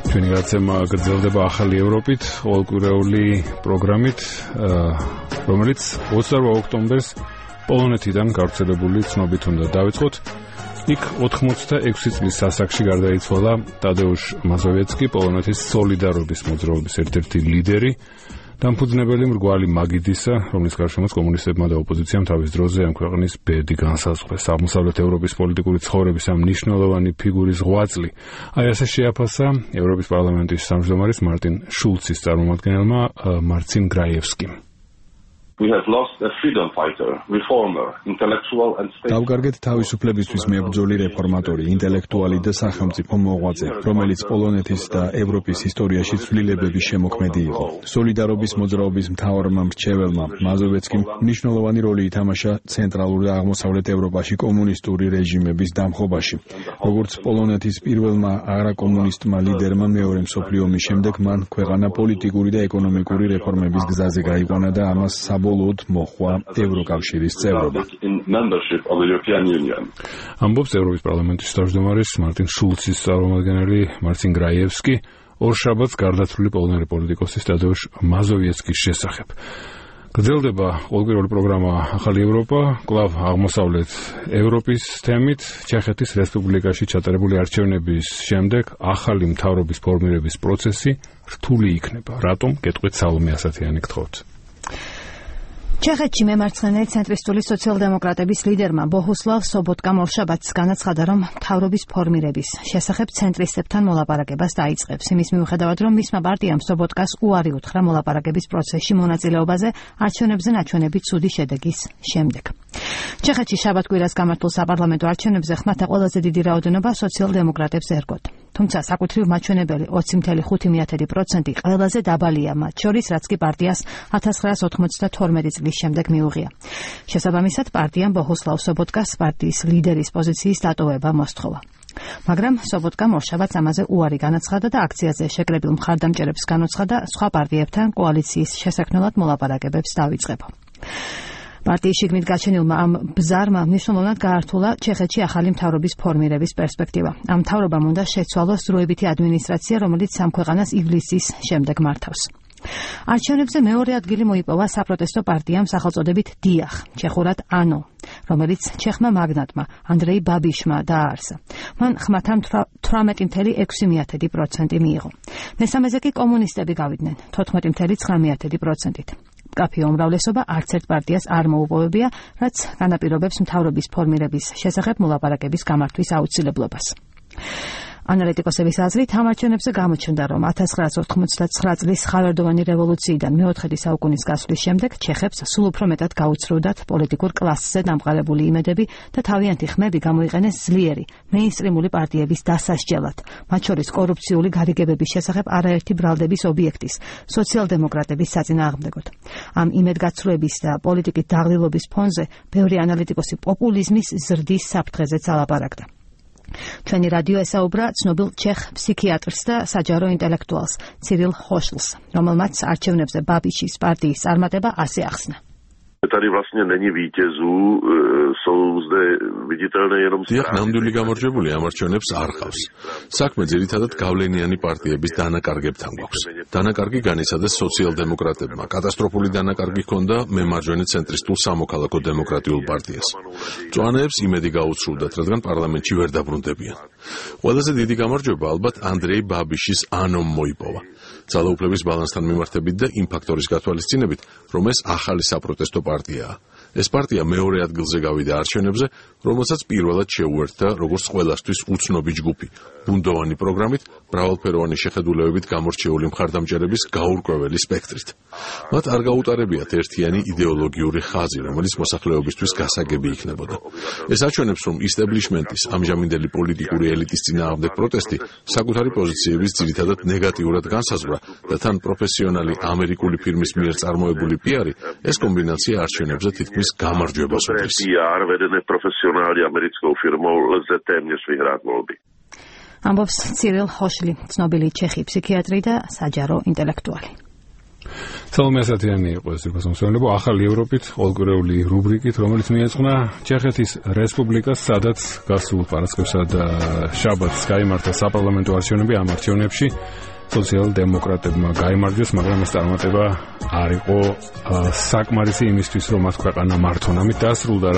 ჩვენი გაცემა გრძელდება ახალი ევროპით, ყოველკვირეული პროგრამით, რომელიც 28 ოქტომბერს პოლონეთიდან გავრცელებული ცნობით უნდა დავიწყოთ. იქ 86 წლის ასაკში გარდაიცვალა ტადეუშ მაზოვეცკი, პოლონეთის სოლიდარობის მოძრაობის ერთ-ერთი ლიდერი, დამფუძნებელი მრგვალი მაგიდისა, რომლის გარშემოც კომუნისტებმა და ოპოზიციამ თავის დროზე ამ ქვეყნის ბედი განსაზღვრეს. აღმოსავლეთ ევროპის პოლიტიკური ცხოვრების ამ მნიშვნელოვანი ფიგურის ღვაწლი აი ასე შეაფასა ევროპის პარლამენტის თავმჯდომარის მარტინ შულცის წარმომადგენელმა მარცინ გრაიევსკიმ. We have lost a freedom fighter, reformer, intellectual and state. დავგარგეთ თავისუფლებისთვის მებრძოლი რეფორმატორი, ინტელექტუალი და სახელმწიფო მოღვაწე, რომელიც პოლონეთის და ევროპის ისტორიაში ცვლილებების შემოქმედი იყო. სოლიდარობის მოძრაობის მთავარმა მრჩეველმა მაზოვეცკიმ მნიშვნელოვანი როლი ითამაშა ცენტრალურ და აღმოსავლეთ ევროპაში კომუნისტური რეჟიმების დამხობაში. როგორც პოლონეთის პირველმა არაკომუნისტმა ლიდერმა მეორე მსოფლიო ომის შემდეგ მან ქვეყანა პოლიტიკური და ეკონომიკური რეფორმების გზაზე გაიყვანა და ამას საბოლოოდ მოხვა ევროკავშირის წევრობა. ამბობს ევროპის პარლამენტის თავმჯდომარის მარტინ შულცის წარმომადგენელი მარცინ გრაიევსკი ორშაბათს გარდაცვლილი პოლონელი პოლიტიკოსის ტადეუშ მაზოვიეცკის შესახებ. გრძელდება ყოველკვირეული პროგრამა ახალი ევროპა, კვლავ აღმოსავლეთ ევროპის თემით, ჩეხეთის რესპუბლიკაში ჩატარებული არჩევნების შემდეგ ახალი მთავრობის ფორმირების პროცესი რთული იქნება. რატომ? გეტყვით სალომე ასათიანი გთხოვთ. ჩეხეთში მემარცხენე ცენტრისტული სოციალ-დემოკრატების ლიდერმა ბოჰუსლავ სობოტკამ ორშაბათს განაცხადა, რომ მთავრობის ფორმირების შესახებ ცენტრისტებთან მოლაპარაკებას დაიწყებს. იმის მიუხედავად, რომ მისმა პარტიამ სობოტკას უარი უთხრა მოლაპარაკების პროცესში მონაწილეობაზე არჩევნებზე ნაჩვენებით ცუდი შედეგის შემდეგ. ჩეხეთში შაბათ-კვირას გამართულ საპარლამენტო არჩევნებზე ხმათა ყველაზე დიდი რაოდენობა სოციალ-დემოკრატებს ერგოთ. თუმცა საკუთრივ მაჩვენებელი 20.5% ყველაზე დაბალია მათ შორის, რაც კი პარტიას 1992 წლის შემდეგ მიუღია. შესაბამისად, პარტიამ ბოჰუსლავ სობოტკას პარტიის ლიდერის პოზიციის დატოვება მოსთხოვა. მაგრამ სობოტკამ ორშაბათს ამაზე უარი განაცხადა და აქციაზე შეკრებილ მხარდამჭერებს განუცხადა სხვა პარტიებთან კოალიციის შესაქმნელად მოლაპარაკებებს დავიწყება. პარტიის შიგნით გაჩენილმა ამ ბზარმა მნიშვნელოვნად გაართულა ჩეხეთში ახალი მთავრობის ფორმირების პერსპექტივა. ამ მთავრობამ უნდა შეცვალოს დროებითი ადმინისტრაცია, რომელიც ამ ქვეყანას ივლისის შემდეგ მართავს. არჩევნებზე მეორე ადგილი მოიპოვა საპროტესტო პარტიამ სახელწოდებით დიახ, ჩეხურად ANO, რომელიც ჩეხმა მაგნატმა ანდრეი ბაბიშმა დააარსა. მან ხმათა 18.6% მიიღო. მესამეზე კი კომუნისტები გავიდნენ 14.9%-ით. მკაფიო უმრავლესობა არც ერთ პარტიას არ მოუპოვებია, რაც განაპირობებს მთავრობის ფორმირების შესახებ მოლაპარაკების გამართვის აუცილებლობას. ანალიტიკოსების აზრით, ამ არჩევნებზე გამოჩნდა, რომ 1989 წლის ხავერდოვანი რევოლუციიდან მეოთხედი საუკუნის გასვლის შემდეგ ჩეხებს სულ უფრო მეტად გაუცრუდათ პოლიტიკურ კლასზე დამყარებული იმედები და თავიანთი ხმები გამოიყენეს ძლიერი, მეინსტრიმული პარტიების დასასჯელად, მათ შორის კორუფციული გარიგებების შესახებ არაერთი ბრალდების ობიექტის, სოციალ-დემოკრატების საწინააღმდეგოდ. ამ იმედგაცრუების და პოლიტიკის დაღლილობის ფონზე ბევრი ანალიტიკოსი პოპულიზმის ზრდის საფრთხეზეც ალაპარაკდა. ჩვენი რადიო ესაუბრა ცნობილ ჩეხ ფსიქიატრს და საჯარო ინტელექტუალს ცირილ ხოშლს, რომელმაც არჩევნებზე ბაბიშის პარტიის წარმატება ასე ახსნა. Tady vlastně není vítězů, jsou zde viditelné jenom strany. ნამდვილი გამარჯვებული ამ არჩევნებს არ ყავს. საქმე ძირითადად გავლენიანი პარტიების დანაკარგებთან გვაქვს. დანაკარგი განიცადეს სოციალ-დემოკრატებმა. კატასტროფული დანაკარგი ჰქონდა მემარჯვენე ცენტრისტულ სამოქალაქო დემოკრატიულ პარტიას. მწვანეებს იმედი გაუცრუდათ, რადგან პარლამენტში ვერ დაბრუნდებიან. ყველაზე დიდი გამარჯვება ალბათ ანდრეი ბაბიშის ანომ მოიპოვა. ძალაუფლების ბალანსთან მიმართებით და იმ ფაქტორის გათვალისწინებით, რომ ეს ახალი საპროტესტო პარტიაა. ეს პარტია მეორე ადგილზე გავიდა არჩევნებზე, რომელსაც პირველად შეუერთდა როგორც ყველასთვის უცნობი ჯგუფი, ბუნდოვანი პროგრამით, მრავალფეროვანი შეხედულებებით გამორჩეული მხარდამჭერების გაურკვეველი სპექტრით. მათ არ გაუტარებიათ ერთიანი იდეოლოგიური ხაზი, რომელიც მოსახლეობისთვის გასაგები იქნებოდა. ეს აჩვენებს, რომ ისტებლიშმენტის ამჟამინდელი პოლიტიკური ელიტის წინააღმდეგ პროტესტი საკუთარი პოზიციების ძირითადად ნეგატიურად განსაზღვრა და თან პროფესიონალი ამერიკული ფირმის მიერ წარმოებული პიარი, ეს კომბინაცია არჩევნებზე თითქმის გამარჯვებას უდრის. PR vedene profesionální americkou firmou lze téměř vyhrát volby. ამბობს ცირილ ხოშლი, ცნობილი ჩეხი ფსიქიატრი და საჯარო ინტელექტუალი. Salome Asatiani იყო ეს რუსულენებო ახალი ევროპით ყოველკვირეული რუბრიკით, რომელიც მიეძღვნა ჩეხეთის რესპუბლიკას, სადაც გასულ პარასკევსა და შაბათს გაიმართა საპარლამენტო არჩევნები. ამ არჩევნებში სოციალ-დემოკრატებმა გაიმარჯვეს, მაგრამ ეს წარმატება არ იყო საკმარისი იმისთვის, რომ მათ ქვეყანა მართონ. ამით დასრულდა